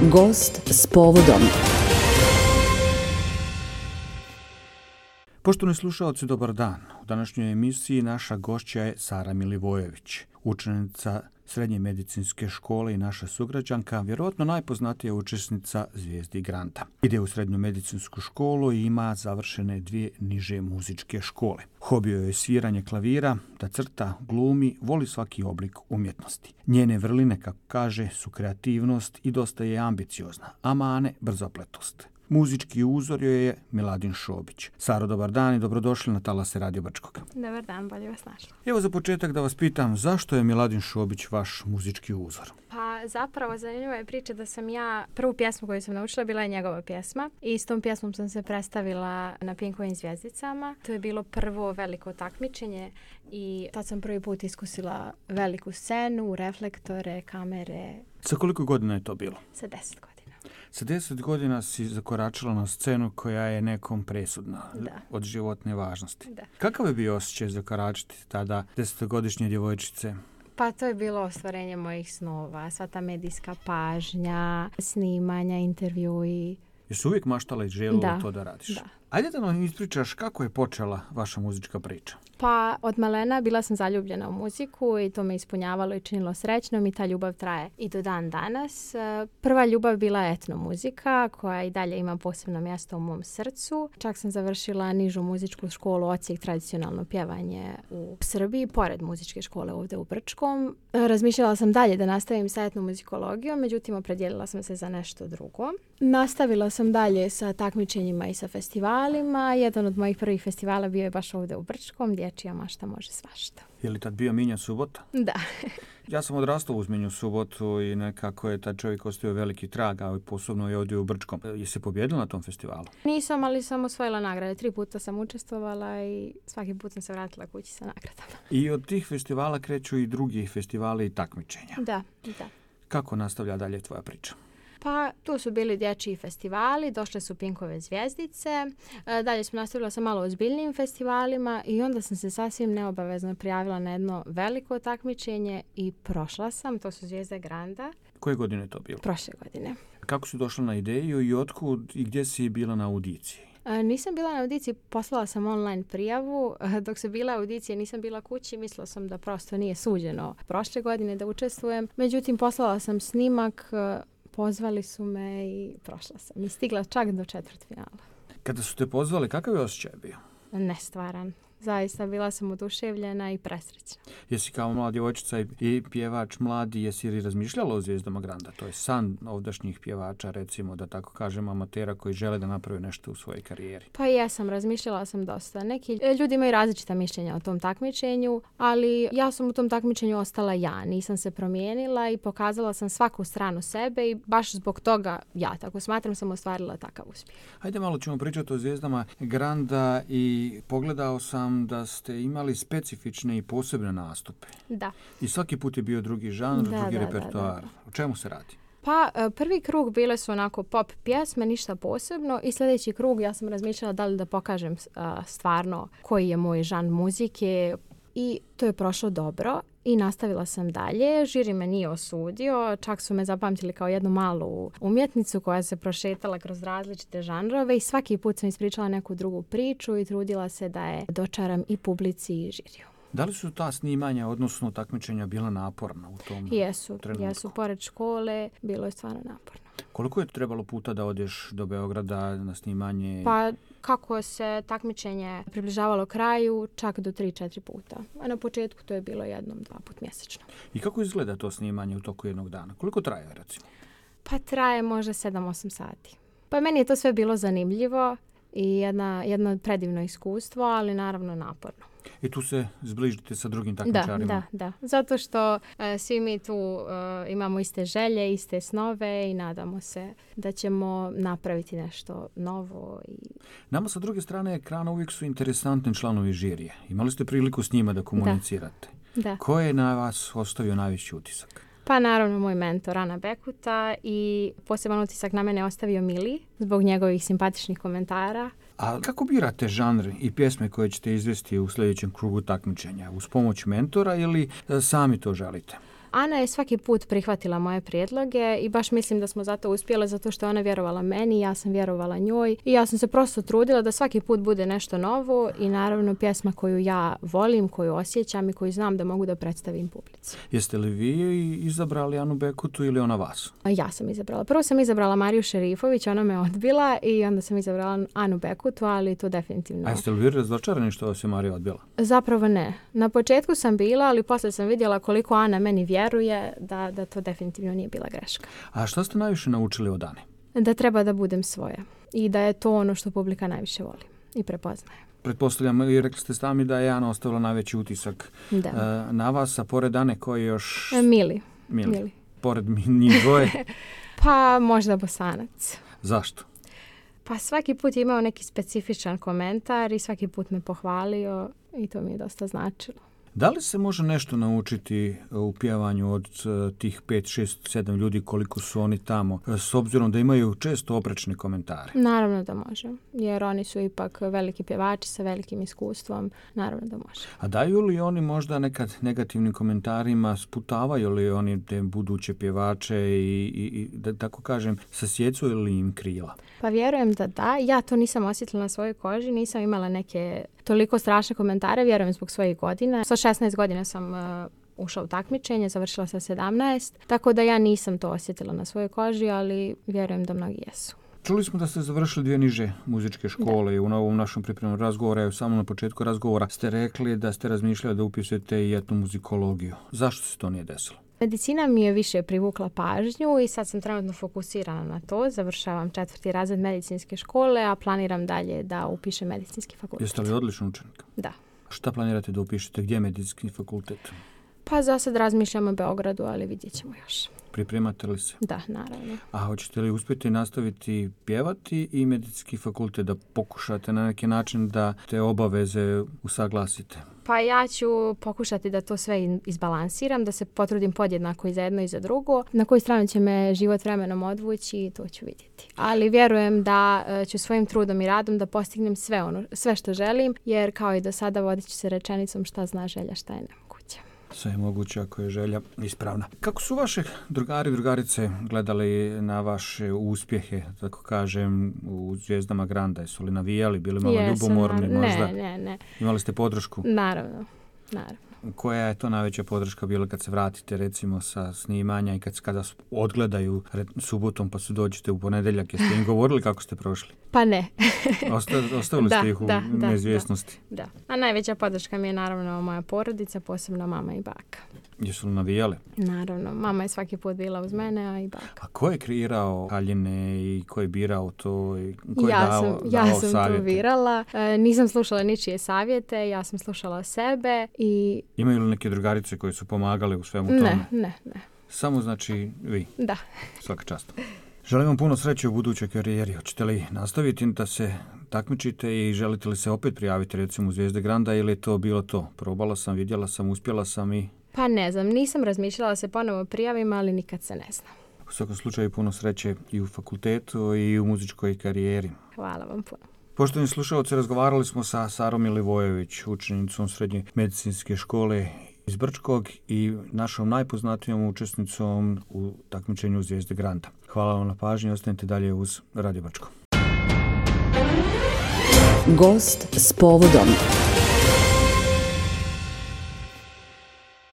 Gost s povodom. Poštovani slušaoci, dobar dan. U današnjoj emisiji naša gošća je Sara Milivojević, učenica Srednje medicinske škole i naša sugrađanka, vjerojatno najpoznatija učesnica Zvijezdi Granta. Ide u Srednju medicinsku školu i ima završene 2 niže muzičke škole. Hobi joj je sviranje klavira, da crta, glumi, voli svaki oblik umjetnosti. Njene vrline, kako kaže, su kreativnost i dosta je ambiciozna, a mane brzopletost. Muzički uzor joj je Miladin Šobić. Saro, dobar dan i dobrodošli na talase Radio Brčkog. Dobar dan, bolje vas našla. Evo za početak da vas pitam, zašto je Miladin Šobić vaš muzički uzor? Pa zapravo zanimljiva je priča da sam ja prvu pjesmu koju sam naučila bila je njegova pjesma i s tom pjesmom sam se predstavila na Pinkovim zvijezdicama. To je bilo prvo veliko takmičenje i tad sam prvi put iskusila veliku scenu, reflektore, kamere. Sa koliko godina je to bilo? Sa 10 godina. Sa 10 godina si zakoračila na scenu koja je nekom presudna, od životne važnosti. Da. Kakav je bio osjećaj zakoračiti tada 10-godišnje djevojčice? Pa to je bilo ostvarenje mojih snova, sva ta medijska pažnja, snimanja, intervjui. Jesu uvijek maštala i željela to da radiš? Da. Ajde da nam ispričaš kako je počela vaša muzička priča. Pa od malena bila sam zaljubljena u muziku i to me ispunjavalo i činilo srećnom i ta ljubav traje i do dan danas. Prva ljubav bila je etno muzika koja i dalje ima posebno mjesto u mom srcu. Čak sam završila nižu muzičku školu odsjek tradicionalno pjevanje u Srbiji, pored muzičke škole ovdje u Brčkom. Razmišljala sam dalje da nastavim sa etnomuzikologijom, međutim opredijelila sam se za nešto drugo. Nastavila sam dalje sa takmičenjima i sa festivalima. Jedan od mojih prvih festivala bio je baš ovdje u Brčkom, Dječja mašta može svašta. Je li tad bio Minja Subota? Da. Ja sam odrastao uz Minju Subotu i nekako je taj čovjek ostavio veliki trag, a posebno je ovdje u Brčkom. Jesi pobjedila na tom festivalu? Nisam, ali sam osvojila nagrade. 3 puta sam učestvovala i svaki put sam se vratila kući sa nagradama. I od tih festivala kreću i drugi festivali i takmičenja. Da. Kako nastavlja dalje tvoja priča? Pa tu su bili dječji festivali, došle su Pinkove zvijezdice, dalje sam nastavila sa malo ozbiljnijim festivalima i onda sam se sasvim neobavezno prijavila na jedno veliko takmičenje i prošla sam, to su Zvijezde Granda. Koje godine je to bilo? Prošle godine. Kako si došla na ideju i otkud i gdje si bila na audiciji? Nisam bila na audiciji, poslala sam online prijavu. Dok su bila audicije nisam bila kući, mislila sam da prosto nije suđeno prošle godine da učestvujem. Međutim, poslala sam snimak, pozvali su me i prošla sam. I stigla čak do četvrtfinala. Kada su te pozvali, kakav je osjećaj bio? Nestvaran. Zaista bila sam oduševljena i presrećna. Jesi kao mlada djevojčica i pjevač mladi, jesi li razmišljala o Zvijezdama Granda? To je san ovdašnjih pjevača, recimo, da tako kažem, amatera koji žele da naprave nešto u svojoj karijeri. Pa jesam, razmišljala sam dosta. Neki ljudi imaju različita mišljenja o tom takmičenju, ali ja sam u tom takmičenju ostala ja. Nisam se promijenila i pokazala sam svaku stranu sebe i baš zbog toga ja, tako smatram, sam ostvarila takav uspjeh. Hajde malo ćemo pričati o Zvijezdama Granda i pogledao sam da ste imali specifične i posebne nastupe. Da. I svaki put je bio drugi žanr, drugi repertoar. O čemu se radi? Pa prvi krug bile su onako pop pjesme, ništa posebno i sljedeći krug ja sam razmišljala da li da pokažem stvarno koji je moj žanr muzike i to je prošlo dobro. I nastavila sam dalje, žiri me nije osudio, čak su me zapamtili kao jednu malu umjetnicu koja se prošetala kroz različite žanrove i svaki put sam ispričala neku drugu priču i trudila se da je dočaram i publici i žiriju. Da li su ta snimanja, odnosno takmičenja, bila naporna u tom trenutku? Jesu, pored škole, bilo je stvarno naporno. Koliko je trebalo puta da odeš do Beograda na snimanje? Pa kako se takmičenje približavalo kraju, čak do 3-4 puta. A na početku to je bilo 1-2 put mjesečno. I kako izgleda to snimanje u toku jednog dana? Koliko traje, recimo? Pa traje možda 7-8 sati. Pa meni je to sve bilo zanimljivo i jedno predivno iskustvo, ali naravno naporno. I tu se zbližite sa drugim takmičarima? Da. Zato što svi mi tu imamo iste želje, iste snove i nadamo se da ćemo napraviti nešto novo. Nama sa druge strane ekrana uvijek su interesantni članovi žirije. Imali ste priliku s njima da komunicirate? Da. Ko je na vas ostavio najveći utisak? Pa naravno moj mentor Ana Bekuta i poseban utisak na mene ostavio Mili zbog njegovih simpatičnih komentara. A kako birate žanr i pjesme koje ćete izvesti u sljedećem krugu takmičenja? Uz pomoć mentora ili sami to želite? Ana je svaki put prihvatila moje prijedloge i baš mislim da smo zato uspjele, zato što je ona vjerovala meni, ja sam vjerovala njoj i ja sam se prosto trudila da svaki put bude nešto novo i naravno pjesma koju ja volim, koju osjećam i koju znam da mogu da predstavim publici. Jeste li vi izabrali Anu Bekutu ili ona vas? Ja sam izabrala. Prvo sam izabrala Mariju Šerifović, ona me odbila i onda sam izabrala Anu Bekutu, ali to definitivno... A jeste li vi razočarani što vas je Marija odbila? Zapravo ne. Na početku sam bila, ali poslije sam vidjela koliko Ana meni vjeruje da to definitivno nije bila greška. A što ste najviše naučili od Ane? Da treba da budem svoja i da je to ono što publika najviše voli i prepoznaje. Pretpostavljam, i rekli ste sami da je Ana ostavila najveći utisak na vas, a pored Ane koji još... Mili. Pored njih dvoje? Pa možda Bosanac. Zašto? Pa svaki put je imao neki specifičan komentar i svaki put me pohvalio i to mi je dosta značilo. Da li se može nešto naučiti u pjevanju od tih 5, 6, 7 ljudi koliko su oni tamo, s obzirom da imaju često oprečne komentare? Naravno da može, jer oni su ipak veliki pjevači sa velikim iskustvom, naravno da može. A daju li oni možda nekad negativnim komentarima, sputavaju li oni te buduće pjevače i da tako kažem, sasjecuju li im krila? Pa vjerujem da. Ja to nisam osjetila na svojoj koži, nisam imala neke toliko strašne komentare, vjerujem zbog svojih godina. Sa 16 godina sam ušla u takmičenje, završila sa 17, tako da ja nisam to osjetila na svojoj koži, ali vjerujem da mnogi jesu. Čuli smo da ste završili 2 niže muzičke škole i u ovom našem pripremnom razgovoru, samo na početku razgovora ste rekli da ste razmišljali da upisujete i etnomuzikologiju. Zašto se to nije desilo? Medicina mi je više privukla pažnju i sad sam trenutno fokusirana na to. Završavam 4. razred medicinske škole, a planiram dalje da upišem medicinski fakultet. Jeste li odličan učenik? Da. Šta planirate da upišete? Gdje je medicinski fakultet? Pa za sad razmišljam o Beogradu, ali vidjet ćemo još. Pripremate li se? Da, naravno. A hoćete li uspjeti nastaviti pjevati i medicinski fakultet, da pokušate na neki način da te obaveze usaglasite? Pa ja ću pokušati da to sve izbalansiram, da se potrudim podjednako i za jedno i za drugo. Na koju stranu će me život vremenom odvući, to ću vidjeti. Ali vjerujem da ću svojim trudom i radom da postignem sve što želim, jer kao i do sada vodit ću se rečenicom šta zna želja, šta je nemoguće. Sve je moguće ako je želja ispravna. Kako su vaše drugari i drugarice gledali na vaše uspjehe, tako kažem, u Zvijezdama Granda? Jesu li navijali, bili malo ljubomorni možda? Ne. Imali ste podršku? Naravno. Koja je to najveća podrška bila kad se vratite recimo sa snimanja i kada odgledaju subotom pa su dođete u ponedjeljak? Jeste im govorili kako ste prošli? Pa ne. Ostavili ste ih u neizvjesnosti? Da. A najveća podrška mi je naravno moja porodica, posebno mama i baka. Jesu li navijali? Naravno. Mama je svaki put bila uz mene, a i baka. A ko je kreirao haljine i ko je birao to? I ko je ja sam to birala. Nisam slušala ničije savjete, ja sam slušala sebe i... Imaju li neke drugarice koje su pomagale u svemu tome? Ne. Samo znači vi? Da. Svaka čast. Želim vam puno sreće u budućoj karijeri. Hoćete li nastaviti da se takmičite i želite li se opet prijaviti recimo u Zvijezde Granda ili je to bilo to? Probala sam, vidjela sam, uspjela sam i... Pa ne znam, nisam razmišljala se ponovo prijavim, ali nikad se ne zna. U svakom slučaju puno sreće i u fakultetu i u muzičkoj karijeri. Hvala vam puno. Poštovani slušalci, razgovarali smo sa Sarom Milivojević, učenicom Srednje medicinske škole iz Brčkog i našom najpoznatijom učesnicom u takmičenju Zvijezde Granda. Hvala vam na pažnji, ostanite dalje uz Radio Brčko. Gost s povodom.